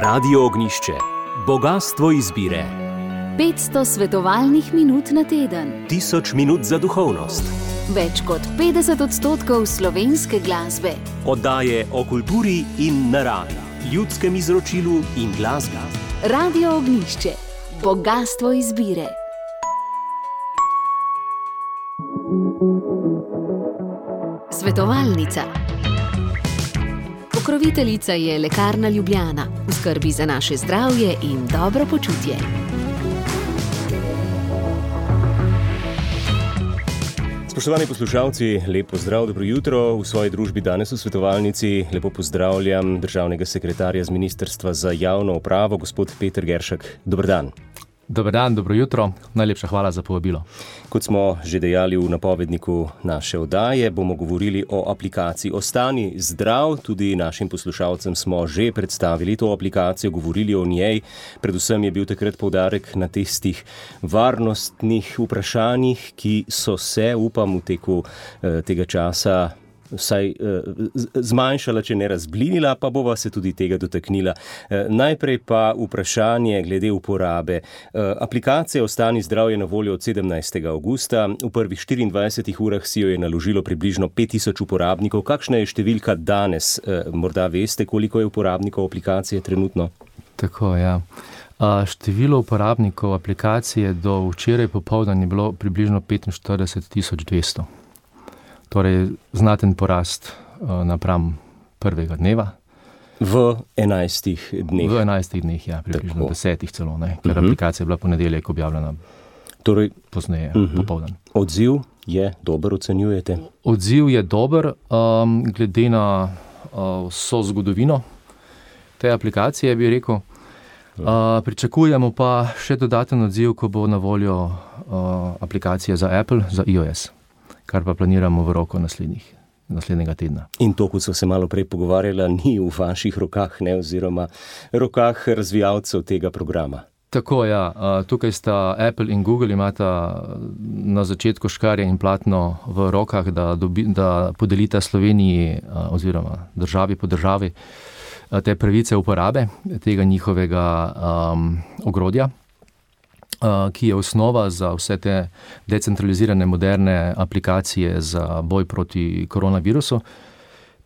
Radio Ognjišče. Bogastvo izbire. 500 svetovalnih minut na teden. 1000 minut za duhovnost. Več kot 50% slovenske glasbe. Oddaje o kulturi in naravi, ljudskem izročilu in glasbi. Radio Ognjišče. Bogastvo izbire. Svetovalnica. Pokroviteljica je Lekarna Ljubljana, v skrbi za naše zdravje in dobro počutje. Spoštovani poslušalci, lep pozdrav, dobro jutro. V svoji družbi danes v svetovalnici lepo pozdravljam državnega sekretarja z Ministrstva za javno upravo, gospod Peter Geršek. Dober dan. Dober dan, dobro jutro. Najlepša hvala za povabilo. Kot smo že dejali v napovedniku naše oddaje, bomo govorili o aplikaciji Ostani zdrav. Tudi našim poslušalcem smo že predstavili to aplikacijo, govorili o njej. Predvsem je bil takrat poudarek na tistih varnostnih vprašanjih, ki so se, upam, v teku tega časa vsaj zmanjšala, če ne razblinila, pa bova se tudi tega dotaknila. Najprej pa vprašanje glede uporabe. Aplikacija Ostani zdrav je na voljo od 17. avgusta. V prvih 24 urah si jo je naložilo približno 5000 uporabnikov. Kakšna je številka danes? Morda veste, koliko je uporabnikov aplikacije trenutno? Tako, ja. Število uporabnikov aplikacije do včeraj popoldan je bilo približno 45200. Torej, znaten porast napram prvega dneva. V 11 dneh? V 11 dneh, ja, približno 10 celo, ne, ker aplikacija je bila ponedeljek objavljena, torej pozneje, popoldan. Odziv je dober, ocenjujete? Odziv je dober, glede na vso zgodovino te aplikacije, bi rekel. Pričakujemo pa še dodaten odziv, ko bo na voljo aplikacija za Apple, za iOS, kar pa planiramo v roku naslednjega tedna. In to, kot so se malo prej pogovarjala, ni v vaših rokah, ne, oziroma rokah razvijalcev tega programa? Tako, ja. Tukaj sta Apple in Google, imata na začetku škarje in platno v rokah, da podelita Sloveniji oziroma državi po državi te pravice uporabe tega njihovega ogrodja, ki je osnova za vse te decentralizirane moderne aplikacije za boj proti koronavirusu.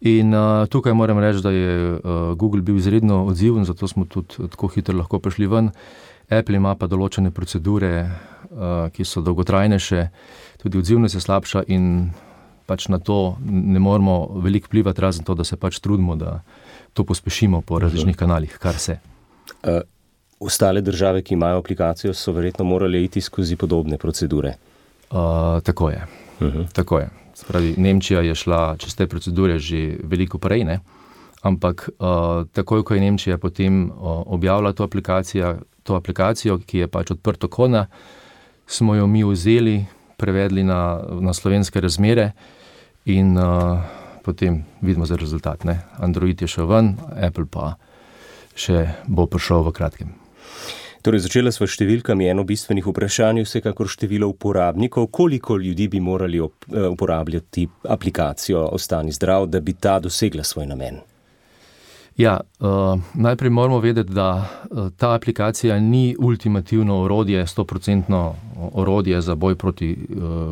In tukaj moram reči, da je Google bil izredno odziven, zato smo tudi tako hitro lahko prišli ven. Apple ima pa določene procedure, ki so dolgotrajnejše, tudi odzivnost je slabša in pač na to ne moramo veliko vplivati, razen to, da se pač trudimo, da to pospešimo po različnih kanalih, kar se. Ostale države, ki imajo aplikacijo, so verjetno morali iti skozi podobne procedure. Tako je. Tako je. Spravi, Nemčija je šla čez te procedure že veliko prej, ne? Ampak takoj, ko je Nemčija potem objavila to aplikacijo, ki je pač odprtokodna, smo jo mi vzeli, prevedli na slovenske razmere in potem vidimo za rezultat, ne? Android je šel ven, Apple pa še bo prišel v kratkem. Torej, začela sva številkami. Eno bistvenih vprašanj, vsekakor število uporabnikov. Koliko ljudi bi morali uporabljati aplikacijo Ostani zdrav, da bi ta dosegla svoj namen? Ja, najprej moramo vedeti, da ta aplikacija ni ultimativno orodje, 100% orodje za boj proti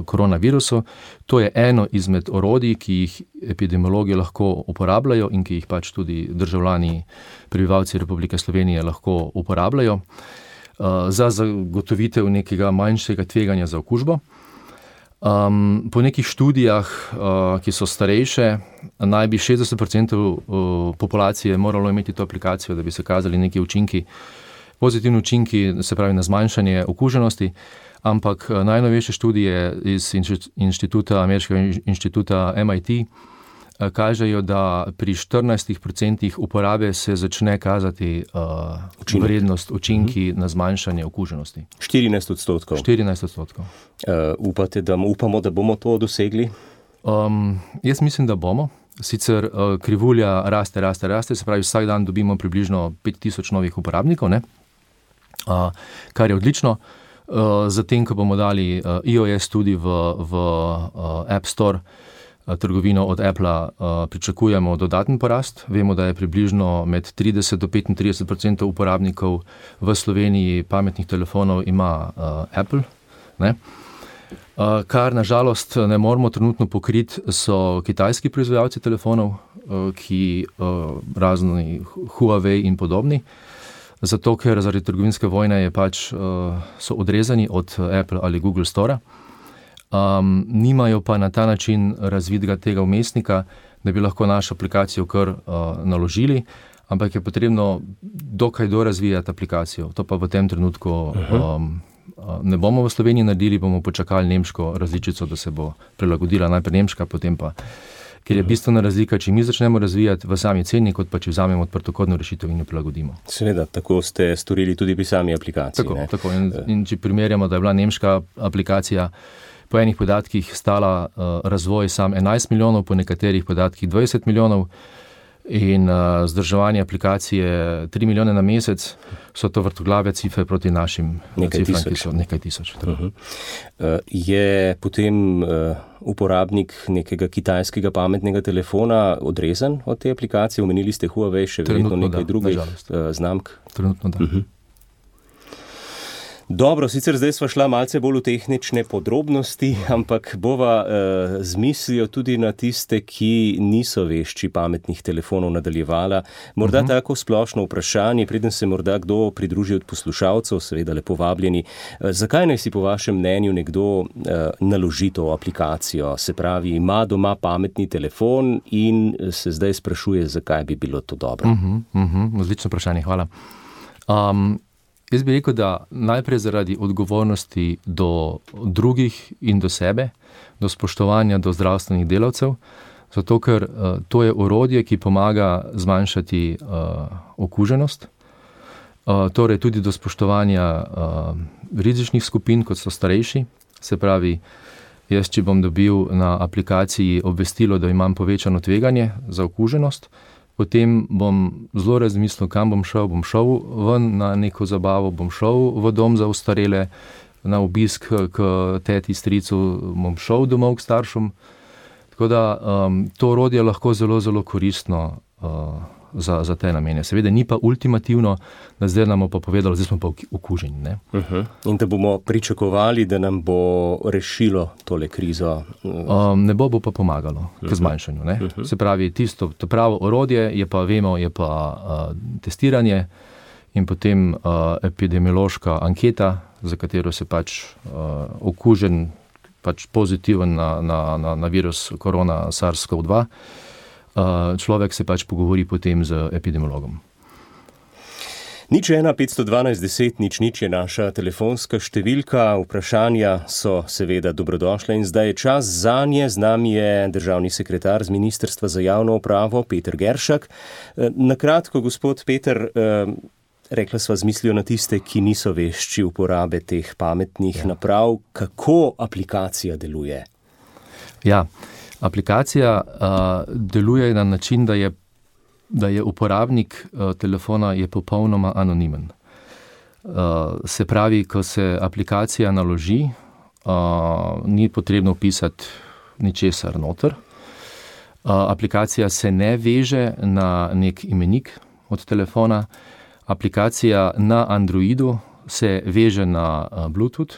koronavirusu. To je eno izmed orodij, ki jih epidemiologi lahko uporabljajo in ki jih pač tudi državljani, prebivalci Republike Slovenije lahko uporabljajo za zagotovitev nekega manjšega tveganja za okužbo. Po nekih študijah, ki so starejše, naj bi 60% populacije moralo imeti to aplikacijo, da bi se kazali neki učinki, pozitivni učinki, se pravi na zmanjšanje okuženosti, ampak najnovejše študije iz ameriškega inštituta MIT kažejo, da pri 14% uporabe se začne kazati vrednost, učinki na zmanjšanje okuženosti. 14%? 14%. Upamo, da bomo to dosegli? Jaz mislim, da bomo. Sicer krivulja raste, se pravi vsak dan dobimo približno 5000 novih uporabnikov, ne? Kar je odlično. Zatem, ko bomo dali iOS tudi v App Store, trgovino od Appla pričakujemo dodaten porast. Vemo, da je približno med 30 do 35% uporabnikov v Sloveniji pametnih telefonov ima Apple, ne? Kar nažalost ne moramo trenutno pokriti, so kitajski proizvajalci telefonov, ki razni Huawei in podobni, zato ker zaradi trgovinske vojne je so odrezani od Apple ali Google Store. Nimajo pa na ta način razvitega tega vmesnika, da bi lahko našo aplikacijo kar naložili, ampak je potrebno dokaj dorazvijati aplikacijo. To pa v tem trenutku ne bomo v Sloveniji naredili, bomo počakali nemško različico, da se bo prilagodila najprej nemška, potem pa, ker je bistvena razlika, če mi začnemo razvijati v sami ceni, kot pa če vzamemo odprtokodno rešitev in jo prilagodimo. Seveda, tako ste storili tudi pri sami aplikaciji. Tako. In če primerjamo, da je bila nemška aplikacija po enih podatkih stala razvoj sam 11 milijonov, po nekaterih podatkih 20 milijonov in zdrževanje aplikacije 3 milijone na mesec, so to vrtoglave cifre proti našim cifram, ki so nekaj tisoč. Je potem uporabnik nekega kitajskega pametnega telefona odrezan od te aplikacije? Omenili ste Huawei, še verjetno nekaj drugih znamk? Trenutno da. Dobro, sicer zdaj sva šla malce bolj v tehnične podrobnosti, ampak bova z mislijo tudi na tiste, ki niso vešči pametnih telefonov nadaljevala. Morda tako splošno vprašanje, preden se morda kdo pridruži od poslušalcev, seveda lepo vabljeni. Zakaj naj si po vašem mnenju nekdo naloži to aplikacijo? Se pravi, ima doma pametni telefon in se zdaj sprašuje, zakaj bi bilo to dobro. Odlično vprašanje, hvala. Jaz bi rekel, da najprej zaradi odgovornosti do drugih in do sebe, do spoštovanja do zdravstvenih delavcev, zato ker to je orodje, ki pomaga zmanjšati okuženost, torej tudi do spoštovanja rizičnih skupin, kot so starejši. Se pravi, jaz, če bom dobil na aplikaciji obvestilo, da imam povečano tveganje za okuženost, potem bom zelo razmislil, kam bom šel. Bom šel ven na neko zabavo, bom šel v dom za ostarele, na obisk k teti, stricu, bom šel domov k staršem. Tako da to orodje je lahko zelo, zelo koristno za te namene. Seveda ni pa ultimativno, da zdaj nam bo pa povedalo, zdaj smo pa okuženi. Ne? In da bomo pričakovali, da nam bo rešilo tole krizo? Ne bo pa pomagalo k zmanjšanju. Ne? Se pravi, to pravo orodje je pa, vemo, je pa testiranje in potem epidemiološka anketa, za katero se okužen, pozitiven na virus korona SARS-CoV-2, človek se pogovori potem z epidemiologom. 01 512 10 00 je naša telefonska številka. Vprašanja so seveda dobrodošle in zdaj je čas zanje. Z nami je državni sekretar z Ministrstva za javno upravo Peter Geršak. Na kratko, gospod Peter, rekla sva z mislijo na tiste, ki niso vešči uporabe teh pametnih naprav. Kako aplikacija deluje? Aplikacija deluje na način, da je uporabnik telefona je popolnoma anonimen. Se pravi, ko se aplikacija naloži, ni potrebno vpisati ničesar noter. Aplikacija se ne veže na nek imenik od telefona. Aplikacija na Androidu se veže na Bluetooth.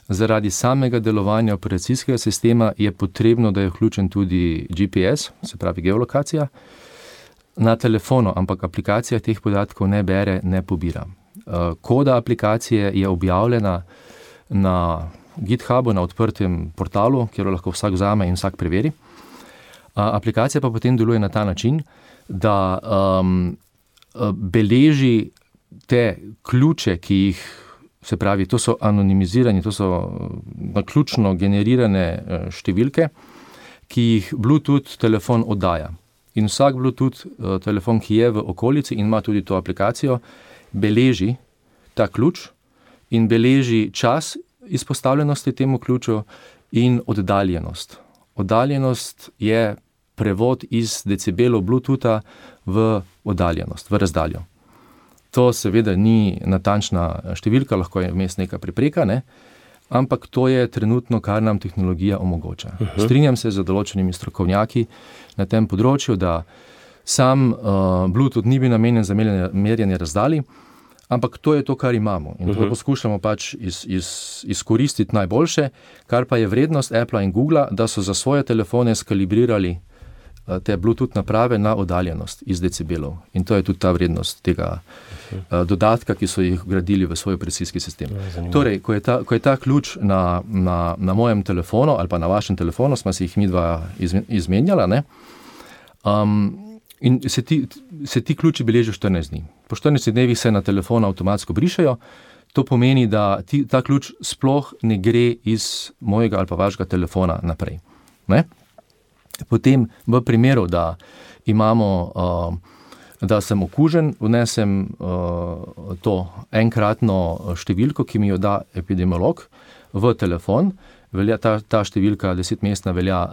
Zaradi samega delovanja operacijskega sistema je potrebno, da je vključen tudi GPS, se pravi geolokacija, na telefonu, ampak aplikacija teh podatkov ne bere, ne pobira. Koda aplikacije je objavljena na GitHubu, na odprtem portalu, kjer lahko vsak vzame in vsak preveri. Aplikacija pa potem deluje na ta način, da beleži te ključe, ki jih, se pravi, to so anonimizirani, to so naključno generirane številke, ki jih Bluetooth telefon oddaja. In vsak Bluetooth telefon, ki je v okolici in ima tudi to aplikacijo, beleži ta ključ in beleži čas izpostavljenosti temu ključu in oddaljenost. Oddaljenost je prevod iz decibelov Bluetootha v oddaljenost, v razdaljo. To seveda ni natančna številka, lahko je vmes neka prepreka, ne? ampak to je trenutno, kar nam tehnologija omogoča. Strinjam se z določenimi strokovnjaki na tem področju, da sam Bluetooth ni bil namenjen za merjenje razdalj, ampak to je to, kar imamo. In to poskušamo pač izkoristiti najboljše, kar pa je vrednost Appla in Googla, da so za svoje telefone skalibrirali te Bluetooth naprave na oddaljenost iz decibelov. In to je tudi ta vrednost tega dodatka, ki so jih vgradili v svoj operacijski sistem. Torej, ko je ta ključ na mojem telefonu ali pa na vašem telefonu, smo si jih midva izmenjala, ne? In se ti ključi beležijo 14 dni. Po 14 dnevih se na telefonu avtomatsko brišejo. To pomeni, da ta ključ sploh ne gre iz mojega ali pa vašega telefona naprej. Ne? Potem v primeru, da da sem okužen, vnesem to enkratno številko, ki mi jo da epidemiolog v telefon. Ta številka 10-mestna velja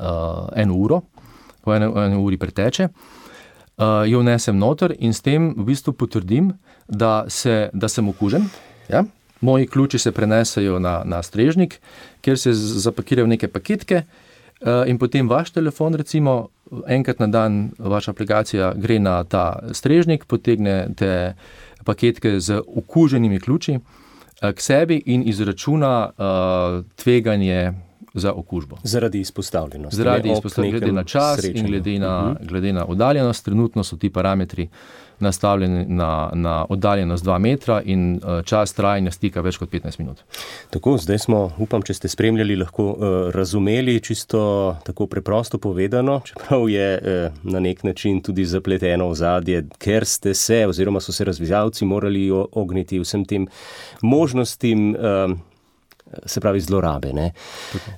1 uro, po 1 uri preteče. Jo vnesem noter in s tem v bistvu potrdim, da sem okužen. Ja? Moji ključi se prenesejo na strežnik, kjer se zapakirajo neke paketke in potem vaš telefon, recimo, enkrat na dan vaša aplikacija gre na ta strežnik, potegne te paketke z okuženimi ključi k sebi in izračuna tveganje za okužbo. Zaradi izpostavljenosti. Glede na čas in glede na oddaljenost. Trenutno so ti parametri nastavljeni na oddaljenost 2 metra in čas trajanja stika več kot 15 minut. Tako, zdaj smo, upam, če ste spremljali, lahko razumeli čisto tako preprosto povedano, čeprav je na nek način tudi zapleteno ozadje, ker ste se, oziroma so se razvijalci morali ogniti vsem tem možnostim, se pravi zlorabe. Ne?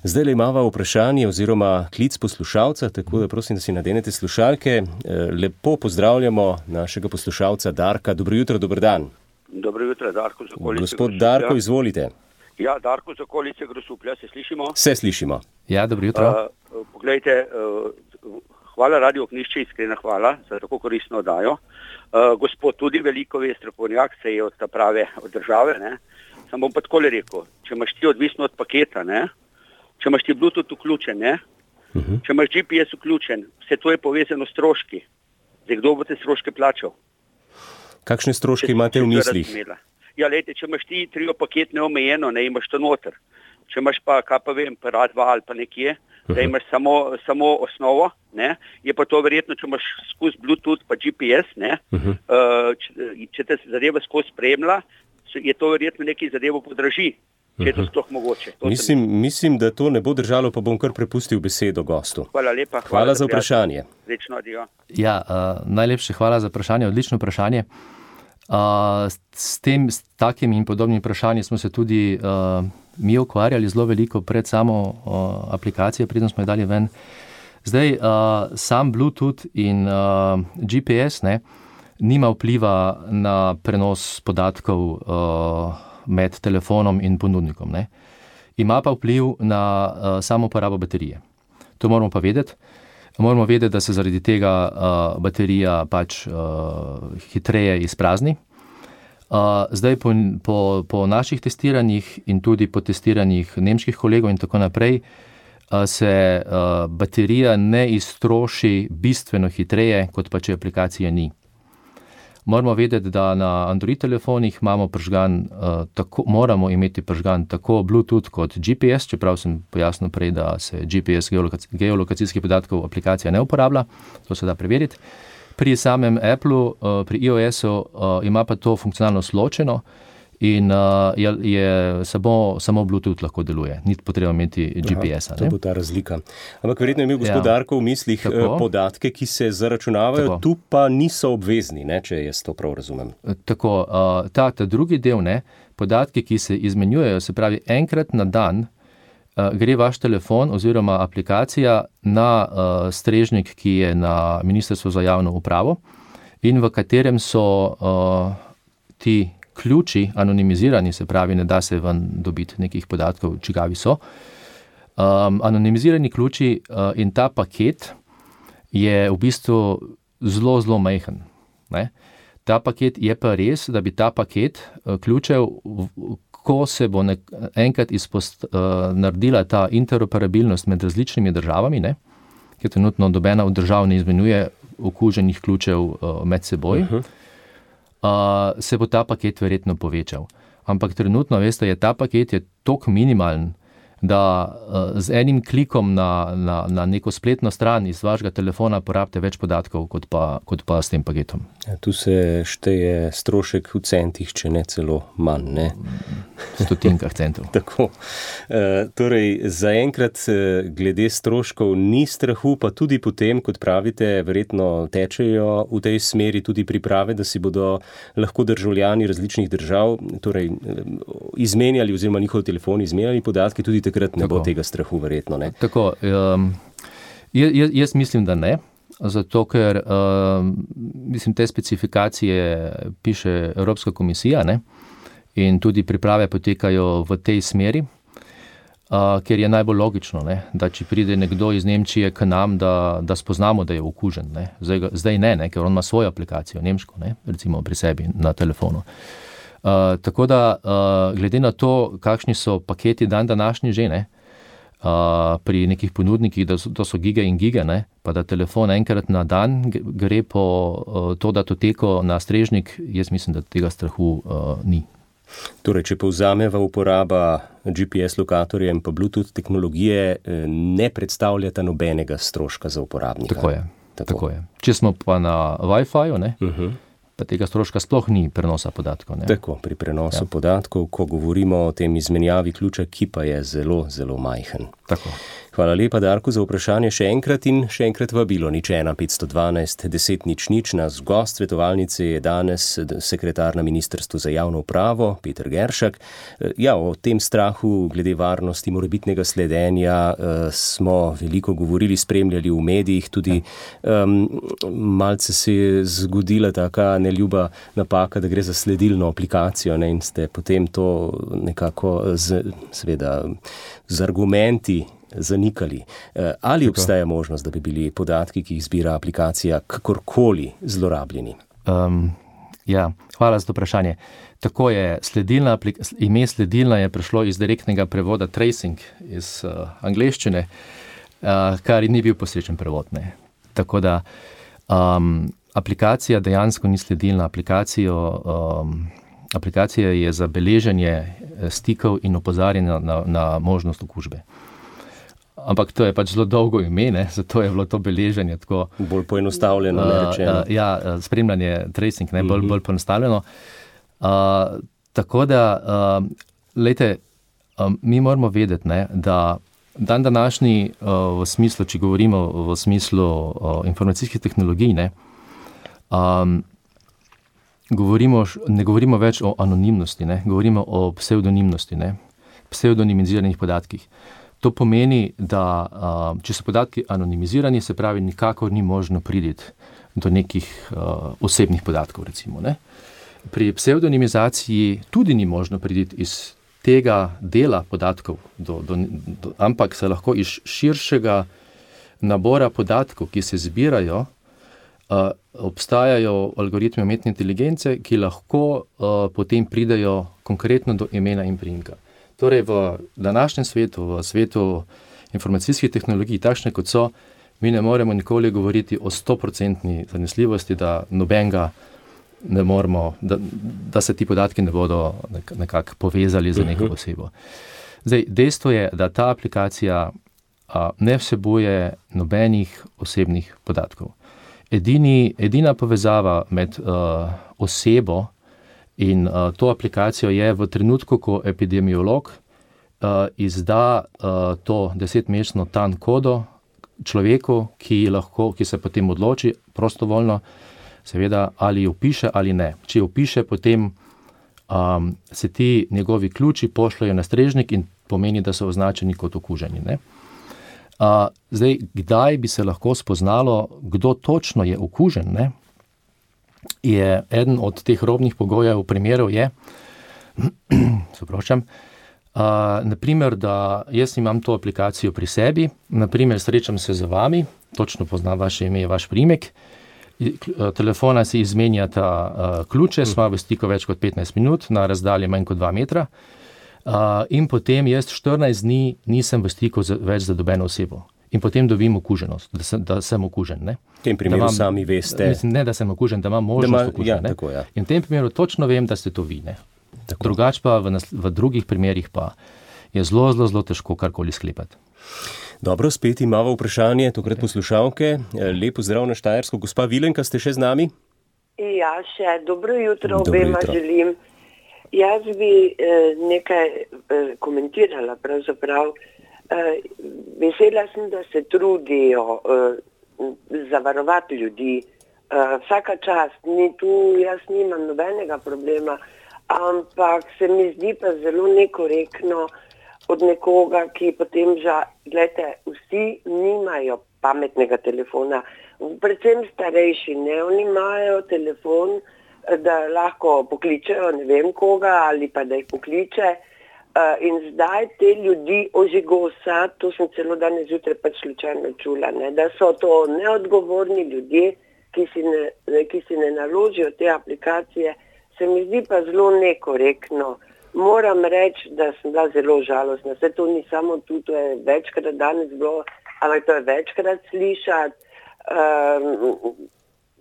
Zdaj le imava vprašanje oziroma klic poslušalca, tako da prosim, da si nadenete slušalke. Lepo pozdravljamo našega poslušalca Darka. Dobro jutro, dober dan. Dobro jutro, Darko z okolice. Gospod Darko, izvolite. Ja, Darko z okolice Grosuplja, se slišimo? Se slišimo. Ja, dobro jutro. Poglejte, hvala Radio Ognjišče, iskrena hvala za tako koristno oddajo. Gospod tudi veliko ve, strokovnjak, se je od ta prave od države, ne? Sam bom pa takole rekel, če imaš ti odvisno od paketa, ne? Če imaš ti Bluetooth vključen, ne? Če imaš GPS vključen, vse to je povezano s stroški. Zdaj, kdo bo te stroške plačal? Kakšne stroške imate v mislih? Ja, lejte, če imaš ti trio paket neomejeno, ne, imaš to noter. Če imaš pa, kaj pa vem, pa RAD 2 ali pa nekje, da imaš samo osnovo, ne, je pa to verjetno, če imaš skozi Bluetooth pa GPS, ne, če te zadeva skozi spremlja, je to verjetno nekaj zadevo podraži, če je to sploh mogoče. Mislim, da to ne bo držalo, pa bom kar prepustil besedo gostu. Hvala lepa. Hvala za vprašanje. Srečno, adijo. Ja, najlepše hvala za vprašanje, odlično vprašanje. S takim in podobnim vprašanjem smo se tudi mi ukvarjali zelo veliko pred samo aplikacijo, preden smo jo dali ven. Zdaj, sam Bluetooth in GPS, ne, nima vpliva na prenos podatkov med telefonom in ponudnikom. Ne. Ima pa vpliv na samo uporabo baterije. To moramo pa vedeti. Moramo vedeti, da se zaradi tega baterija pač hitreje izprazni. Zdaj po naših testiranjih in tudi po testiranjih nemških kolegov in tako naprej se baterija ne iztroši bistveno hitreje, kot pa če aplikacije ni. Moramo vedeti, da na Android telefonih moramo imeti prižgan tako Bluetooth kot GPS, čeprav sem pojasnil prej, da se GPS geolokacijskih podatkov aplikacija ne uporablja, to se da preveriti. Pri samem Applu, pri iOS-u ima pa to funkcionalnost ločeno in je samo Bluetooth lahko deluje. Ni potreba imeti GPS-a. To bo ta razlika. Ampak verjetno je imel gospod Darko v mislih podatke, ki se zaračunavajo, tu pa niso obvezni, ne, če jaz to prav razumem. Tako, ta drugi del, ne, podatki, ki se izmenjujejo, se pravi enkrat na dan, gre vaš telefon oziroma aplikacija na strežnik, ki je na Ministrstvu za javno upravo in v katerem so ti ključi anonimizirani, se pravi, ne da se ven dobiti nekih podatkov, čigavi so. Anonimizirani ključi in ta paket je v bistvu zelo, zelo majhen. Ne? Ta paket je pa res, da bi ta paket ključev, ko se bo enkrat naredila ta interoperabilnost med različnimi državami, ne, ker trenutno nobena od držav ne izmenjuje okuženih ključev med seboj, se bo ta paket verjetno povečal. Ampak trenutno, veste, ta paket je toliko minimalen, da z enim klikom na neko spletno stran iz vašega telefona porabite več podatkov, kot pa s tem paketom. Tu se šteje strošek v centih, če ne celo manj, ne? Stotinkah centov. Tako. Torej, zaenkrat glede stroškov ni strahu, pa tudi potem, kot pravite, verjetno tečejo v tej smeri tudi priprave, da si bodo lahko državljani različnih držav torej izmenjali oziroma njihovi telefoni izmenjali podatke, tudi takrat ne bo tega strahu verjetno, ne? Tako, jaz mislim, da ne, zato ker mislim, te specifikacije piše Evropska komisija, ne? In tudi priprave potekajo v tej smeri, ker je najbolj logično, ne? Da če pride nekdo iz Nemčije k nam, da spoznamo, da je okužen, ne? Zdaj ne, ker on ima svojo aplikacijo, nemško, ne? Recimo pri sebi na telefonu. Tako da, glede na to, kakšni so paketi današnji že, ne, pri nekih ponudnikih, da to so gige in gige, ne, pa da telefon enkrat na dan gre po to datoteko na strežnik, jaz mislim, da tega strahu ni. Torej, če povzameva, uporaba GPS lokatorja in pa Bluetooth tehnologije ne predstavljata nobenega stroška za uporabnika. Tako je. Če smo pa na Wi-Fi-ju, ne, pa tega stroška sploh ni prenosa podatkov, ne. Tako, pri prenosu podatkov, ko govorimo o tem izmenjavi ključa, ki pa je zelo, zelo majhen. Tako. Hvala lepa, Darko, za vprašanje še enkrat vabilo 01 512 10 00. Naš gost svetovalnice je danes sekretar na Ministrstvu za javno upravo, Peter Geršak. Ja, o tem strahu glede varnosti morebitnega sledenja smo veliko govorili, spremljali v medijih, tudi malce se je zgodila taka neljuba napaka, da gre za sledilno aplikacijo, ne, in ste potem to nekako z argumenti zanikali. Ali obstaja možnost, da bi bili podatki, ki jih zbira aplikacija, kakorkoli zlorabljeni? Ja, hvala za to vprašanje. Tako je, ime sledilna je prišlo iz direktnega prevoda tracing iz angleščine, kar ni bil posrečen prevod, ne. Tako da aplikacija dejansko ni sledilna. Aplikacija je za beleženje stikov in opozarjanja na možnost okužbe. Ampak to je pač zelo dolgo ime, ne? Zato je bilo to beleženje tako bolj poenostavljeno, ne rečeno. Ja, spremljanje, tracing, ne, bolj poenostavljeno. Tako da, glejte, mi moramo vedeti, ne, da današnji v smislu, če govorimo v smislu informacijskih tehnologij, ne govorimo več o anonimnosti, ne, govorimo o pseudonimnosti, ne, pseudonimiziranih podatkih. To pomeni, da če so podatki anonimizirani, se pravi, nikakor ni možno priti do nekih osebnih podatkov, recimo, ne. Pri pseudonimizaciji tudi ni možno priti iz tega dela podatkov, ampak se lahko iz širšega nabora podatkov, ki se zbirajo, obstajajo algoritmi umetne inteligence, ki lahko potem pridejo konkretno do imena in priimka. Torej, v današnjem svetu, v svetu informacijskih tehnologij, takšne kot so, mi ne moremo nikoli govoriti o 100% zanesljivosti, da nobenega ne moremo, da se ti podatki ne bodo nekako povezali z neko osebo. Zdaj, dejstvo je, da ta aplikacija ne vsebuje nobenih osebnih podatkov. Edina povezava med osebo in to aplikacijo je v trenutku, ko epidemiolog izda to 10-mesečno TAN kodo človeku, ki se potem odloči prostovoljno, seveda, ali jo piše ali ne. Če jo piše, potem se ti njegovi ključi pošljajo na strežnik in pomeni, da so označeni kot okuženi, ne. Zdaj, kdaj bi se lahko spoznalo, kdo točno je okužen, ne, je eden od teh robnih pogojev, primerov je, naprimer, da jaz imam to aplikacijo pri sebi, naprimer, srečam se z vami, točno poznam vaše ime, vaš priimek, telefona si izmenjata ključe, smo v stiku več kot 15 minut, na razdalji manj kot 2 metra, In potem jaz 14 dni nisem v stiku več za nobeno osebo. In potem dobim okuženost, da sem okužen. Ne? V tem primeru sami veste. Mislim, ne, da sem okužen, da imam možnost okužen. Tako, ja. In v tem primeru točno vem, da ste to vi. Drugač pa v drugih primerih pa je zelo težko karkoli sklepati. Dobro, spet imamo vprašanje, tokrat poslušalke. Lepo zdrav na Štajersko. Gospa Vilenka, ste še z nami? Ja, še. Dobro jutro obema želim. Jaz bi nekaj komentirala pravzaprav. Vesela sem, da se trudijo zavarovati ljudi. Vsaka čast, jaz nimam nobenega problema, ampak se mi zdi pa zelo nekorektno od nekoga, ki potem gledajte, vsi nimajo pametnega telefona, predvsem starejši, ne, oni imajo telefon, da lahko pokličejo ne vem koga ali pa da jih pokliče in zdaj te ljudi ožigosa, to sem celo danes zjutraj pač slučajno čula, ne, da so to neodgovorni ljudje, ki si ne naložijo te aplikacije, se mi zdi pa zelo nekorektno. Moram reči, da sem bila zelo žalostna. Vse to ni samo tu, to je večkrat danes bilo, ampak to je večkrat slišati.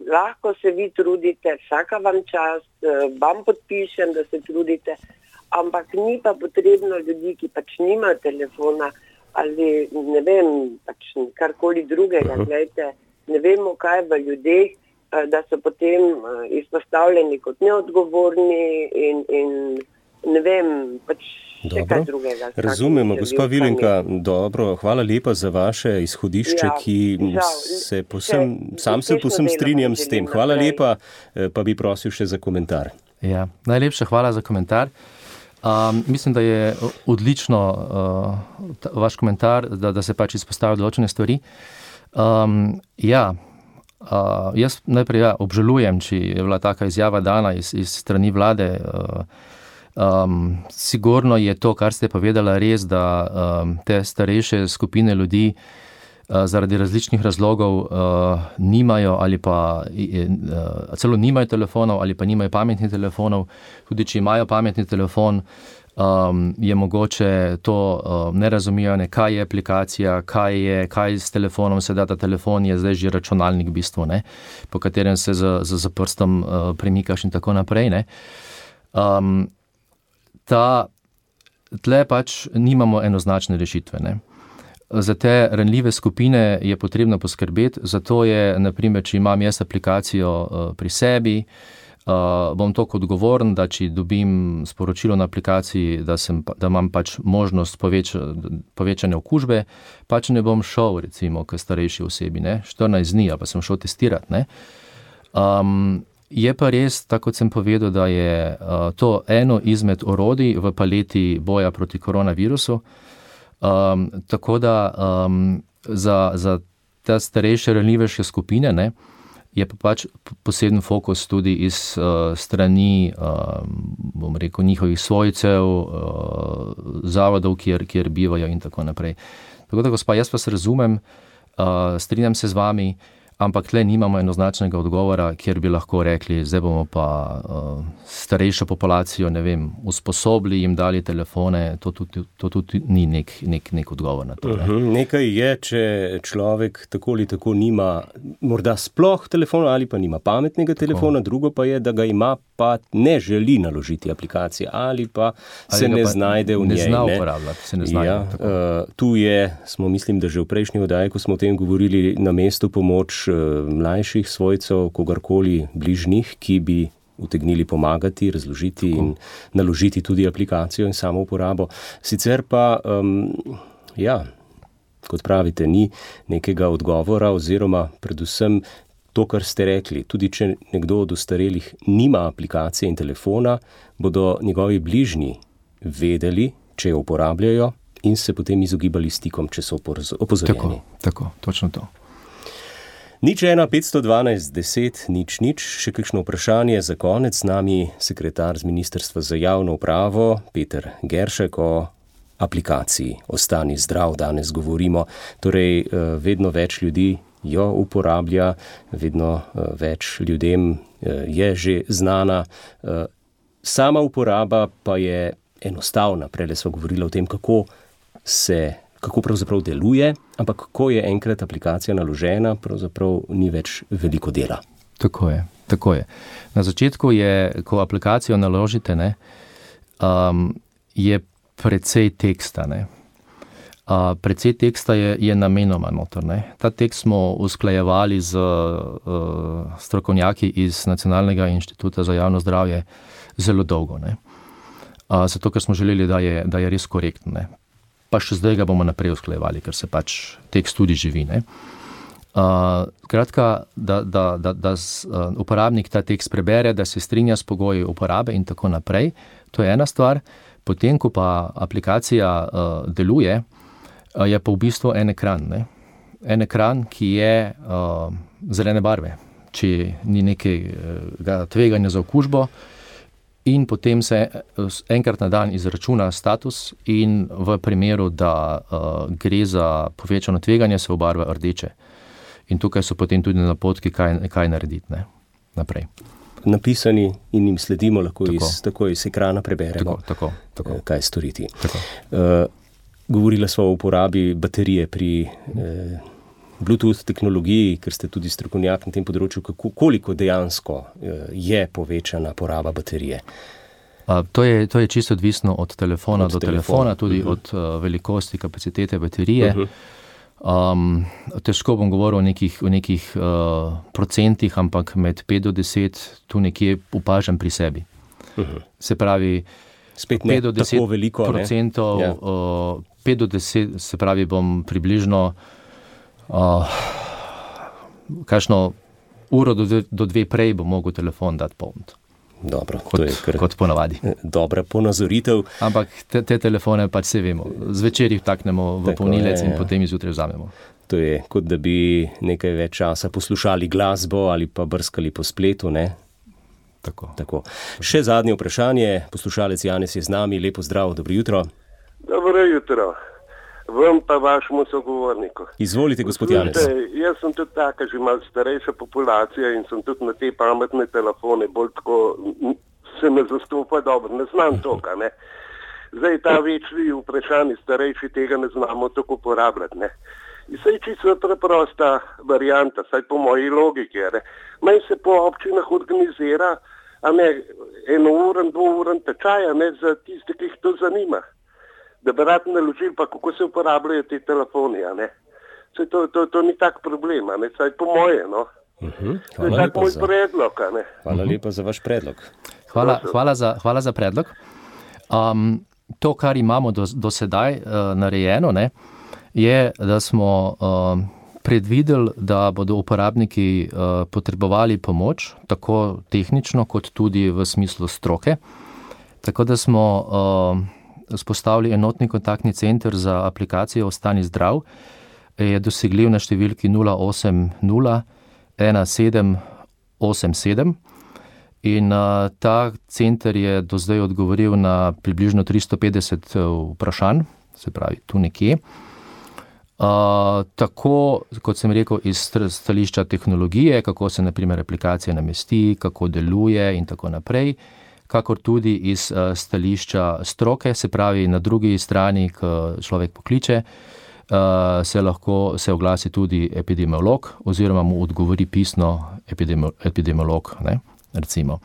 Lahko se vi trudite, vsaka vam čast, vam podpišem, da se trudite, ampak ni pa potrebno ljudi, ki pač nimajo telefona ali ne vem, pač karkoli drugega, gledajte, ne vemo kaj v ljudeh, da so potem izpostavljeni kot neodgovorni in ne vem, pač še kaj drugega. Razumemo, gospa Vilenka, dobro, hvala lepa za vaše izhodišče, ki se povsem strinjam s tem. Hvala lepa, pa bi prosil še za komentar. Ja, najlepša hvala za komentar. Mislim, da je odlično vaš komentar, da se pač izpostavljajo določene stvari. Jaz najprej obžalujem, če je bila taka izjava dana iz strani vlade. Sigurno je to, kar ste povedala, res, da te starejše skupine ljudi zaradi različnih razlogov nimajo ali pa celo nimajo telefonov ali pa nimajo pametnih telefonov. Tudi če imajo pametni telefon, je mogoče to ne razumijo, kaj je aplikacija, kaj s telefonom se da. Ta telefon je zdaj že računalnik v bistvu, ne, po katerem se z prstom premikaš in tako naprej. Ne. Tle pač nimamo enoznačne rešitve. Ne. Za te ranljive skupine je potrebno poskrbeti, zato je, naprimer, če imam jaz aplikacijo pri sebi, bom toliko odgovoren, da če dobim sporočilo na aplikaciji, da imam pač možnost povečanja okužbe, pač ne bom šel, recimo, k starejši osebi, ne, 14 dni, pa sem šel testirati, ne. Je pa res, tako kot sem povedal, da je to eno izmed orodij v paleti boja proti koronavirusu, tako da za te starejše ranljivejše skupine, ne, je pa pač poseben fokus tudi iz strani, bom rekel, njihovih svojcev, zavodov, kjer bivajo in tako naprej. Tako da, gospa, jaz vas razumem, strinjam se z vami, ampak tle nimamo enoznačnega odgovora, kjer bi lahko rekli, zdaj bomo pa starejšo populacijo, ne vem, usposobili, jim dali telefone, to tudi ni nek odgovor na to. Ne? Nekaj je, če človek tako ali tako nima morda sploh telefona ali pa nima pametnega telefona, drugo pa je, da ga ima, pa ne želi naložiti aplikacije ali pa se ne znajde v njej. Ne zna uporabljati, se ne znajde. Tu smo, mislim, da že v prejšnji oddaji, ko smo o tem govorili, na mestu pomoč mlajših svojcev, kogarkoli bližnjih, ki bi utegnili pomagati, razložiti in naložiti tudi aplikacijo in samo uporabo. Sicer pa, kot pravite, ni nekega odgovora oziroma predvsem to, kar ste rekli, tudi če nekdo od ostarelih nima aplikacije in telefona, bodo njegovi bližnji vedeli, če jo uporabljajo in se potem izogibali stikom, če so opozorjeni. Tako, točno to. 01512 10 00, še kakšno vprašanje za konec. Z nami sekretar z Ministrstva za javno upravo, Peter Geršek, o aplikaciji Ostani zdrav danes govorimo. Torej, vedno več ljudi jo uporablja, vedno več ljudem je že znana. Sama uporaba pa je enostavna. Prele smo govorili o tem, kako pravzaprav deluje, ampak ko je enkrat aplikacija naložena, pravzaprav ni več veliko dela. Tako je. Na začetku je, ko aplikacijo naložite, je precej teksta. Precej teksta je namenoma noter. Ta tekst smo usklajevali z strokovnjaki iz Nacionalnega inštituta za javno zdravje zelo dolgo. Zato, ker smo želeli, da je res korektno. Pa še zdaj ga bomo naprej usklajevali, ker se pač tekst tudi živi. Kratka, da uporabnik ta tekst prebere, da se strinja s pogoji uporabe in tako naprej. To je ena stvar. Potem, ko pa aplikacija deluje, je pa v bistvu en ekran. En ekran, ki je zelene barve, če ni nekega tveganja za okužbo, in potem se enkrat na dan izračuna status in v primeru, da gre za povečano tveganje, se obarva rdeče. In tukaj so potem tudi napotki, kaj narediti naprej. Napisani in jim sledimo, lahko tako iz ekrana preberemo, tako. Kaj storiti. Govorila smo o uporabi baterije pri Bluetooth tehnologiji, ker ste tudi strokovnjak na tem področju, koliko dejansko je povečana poraba baterije? To je čisto odvisno od telefona do telefona, tudi od velikosti, kapacitete baterije. Težko bom govoril o nekih procentih, ampak med 5 do 10 tu nekje opažam pri sebi. Se pravi, spet ne 5 do 10 tako veliko, procentov, 5 do 10, se pravi, bom približno kakšno uro do 2 prej bom mogel telefon dati polniti. Dobro, kot ponavadi. Dobra ponazoritev. Ampak te telefone pač se vemo. Zvečer jih vtaknemo v polnilec in potem izjutraj vzamemo. To je, kot da bi nekaj več časa poslušali glasbo ali pa brskali po spletu, ne? Tako. Še zadnje vprašanje. Poslušalec Janez je z nami. Lepo zdrav, dobro jutro. Dobro jutro. Vam pa vašemu sogovorniku. Izvolite, gospod Janez. Jaz sem tudi taka, že malo starejša populacija in sem tudi na te pametne telefone bolj tako, se me zastopa dobro, ne znam toga, ne. Zdaj ta večni vprašanji starejši tega ne znamo tako uporabljati, ne. In saj čisto preprosta varianta, saj po moji logiki, ne. Maj se po občinah organizira, a ne, 1 uro, 2 ure tečaja, ne, za tiste, ki jih to zanima. Da bi rad naložili, pa kako se uporabljajo te telefoni, a ne. To ni tak problem, a ne, saj po moje, no. To je tak moj predlog, a ne. Hvala lepa za vaš predlog. Hvala za predlog. To, kar imamo do sedaj narejeno, ne, je, da smo predvideli, da bodo uporabniki potrebovali pomoč, tako tehnično, kot tudi v smislu stroke. Tako da smo spostavili enotni kontaktni center za aplikacijo Ostani zdrav, je dosegljiv na številki 080 1787 in ta center je do zdaj odgovoril na približno 350 vprašanj, se pravi tu nekje. Tako, kot sem rekel, iz stališča tehnologije, kako se na primer aplikacija namesti, kako deluje in tako naprej, kakor tudi iz stališča stroke, se pravi na drugi strani, ko človek pokliče, se oglasi tudi epidemiolog oziroma mu odgovori pisno epidemiolog, ne, recimo.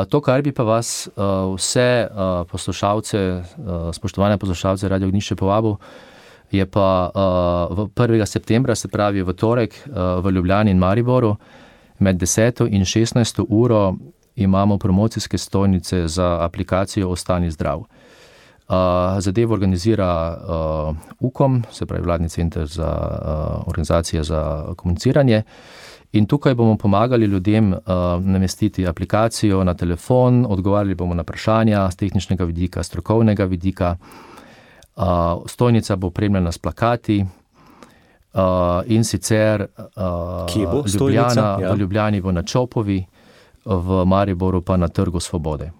To, kar bi pa vas vse poslušalce, spoštovane poslušalce Radio Ognjišče povabil, je pa 1. septembra, se pravi v torek, v Ljubljani in Mariboru, med 10. in 16. uro imamo promocijske stojnice za aplikacijo Ostani zdrav. Zadevo organizira UKOM, se pravi Vladni center za organizacije za komuniciranje, in tukaj bomo pomagali ljudem namestiti aplikacijo na telefon, odgovarjali bomo na vprašanja z tehničnega vidika, strokovnega vidika. Stojnica bo opremljena s plakati in sicer v Ljubljani bo na Čopovi, v Mariboru pa na Trgu Svobode.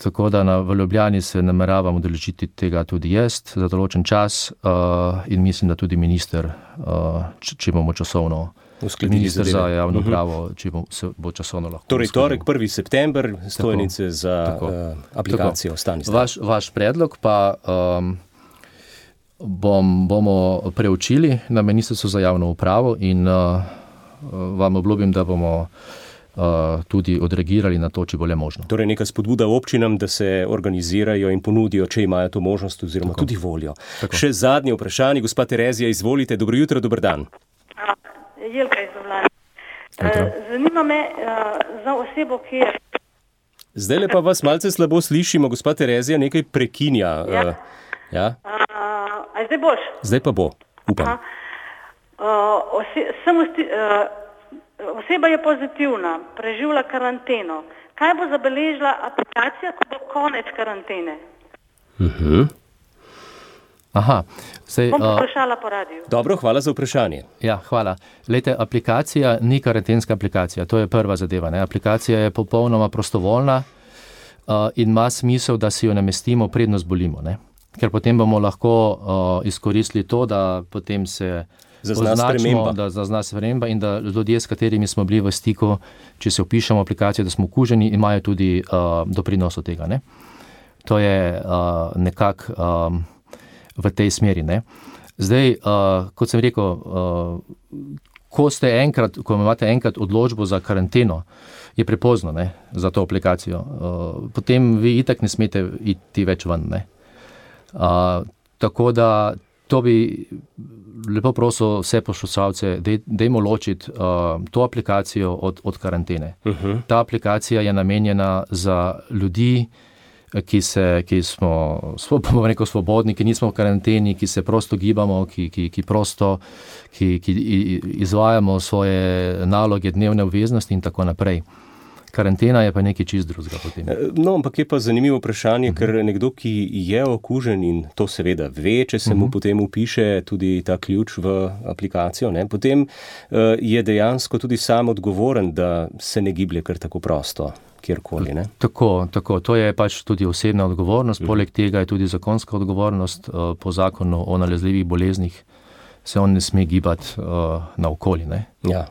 Tako da v Ljubljani se nameravam udeležiti tega tudi jaz za določen čas in mislim, da tudi minister, če bomo časovno minister za javno upravo, če se bo časovno lahko. Torej, torek 1. september, stojnice za aplikacijo Ostani zdrav. Vaš predlog pa bomo preučili na Ministrstvu za javno upravo in vam obljubim, da bomo tudi odreagirali na to, če bo le možno. Torej neka spodbuda občinam, da se organizirajo in ponudijo, če imajo to možnost oziroma tudi voljo. Še zadnje vprašanje, gospa Terezija, izvolite. Dobro jutro, dober dan. Jelka iz Ljubljane. Zanima me za osebo, ki je... Zdajle pa vas malce slabo slišimo, gospa Terezija, nekaj prekinja. Ja? A zdaj boš? Zdaj pa bo, upam. Oseba je pozitivna, preživlja karanteno. Kaj bo zabeležila aplikacija, ko bo konec karantene? Bom vprašala po radiju. Dobro, hvala za vprašanje. Ja, hvala. Lejte, aplikacija ni karantenska aplikacija, to je prva zadeva. Ne? Aplikacija je popolnoma prostovoljna in ima smisel, da si jo namestimo, predno zbolimo. Ne? Ker potem bomo lahko izkoristili to, da potem se označimo, da zazna sprememba in da ljudje, s katerimi smo bili v stiku, če se vpišemo v aplikacijo, da smo okuženi, imajo tudi doprinos od tega. Ne? To je nekako v tej smeri. Ne? Zdaj, kot sem rekel, ko imate enkrat odločbo za karanteno, je prepozno, ne, za to aplikacijo. Potem vi itak ne smete iti več ven. Ne? Tako da to bi lepo prosil vse poslušalce, dajmo ločiti to aplikacijo od karantene. Ta aplikacija je namenjena za ljudi, ki smo svobodni, ki nismo v karanteni, ki se prosto gibamo, ki izvajamo svoje naloge, dnevne obveznosti in tako naprej. Karantena je pa nekaj čist drugega potem. No, ampak je pa zanimivo vprašanje, ker nekdo, ki je okužen in to seveda ve, če se mu potem vpiše tudi ta ključ v aplikacijo, ne, potem je dejansko tudi sam odgovoren, da se ne giblje kar tako prosto, kjerkoli. Ne? Tako. To je pač tudi osebna odgovornost. Poleg tega je tudi zakonska odgovornost. Po zakonu o nalezljivih boleznih se on ne sme gibati naokoli. Ne? Ja.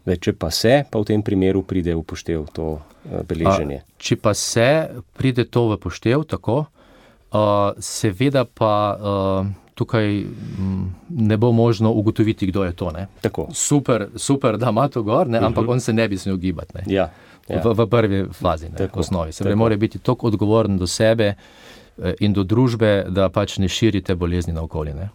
Če pa se, pa v tem primeru pride v poštev to beleženje. Če pa se, pride to v poštev, tako. Seveda pa tukaj ne bo možno ugotoviti, kdo je to. Ne? Tako. Super, da ima to gor, ne? Ampak on se ne bi smel gibati. Ne? Ja. V prvi fazi, ne, v osnovi. Se mora biti toliko odgovoren do sebe in do družbe, da pač ne širite bolezni naokoli. Ne?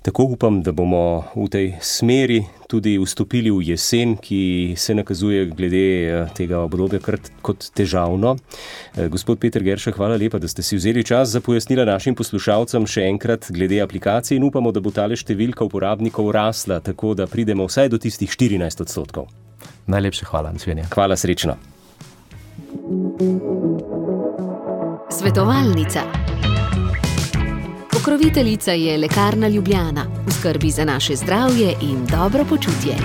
Tako upam, da bomo v tej smeri tudi vstopili v jesen, ki se nakazuje glede tega obdobja kot težavno. Gospod Peter Gerša, hvala lepa, da ste si vzeli čas za pojasnila našim poslušalcem še enkrat glede aplikacije in upamo, da bo tale številka uporabnikov rasla, tako da pridemo vsaj do tistih 14%. Najlepše hvala, nasvidenje. Hvala, srečno. Svetovalnica. Pokroviteljica je Lekarna Ljubljana, v skrbi za naše zdravje in dobro počutje.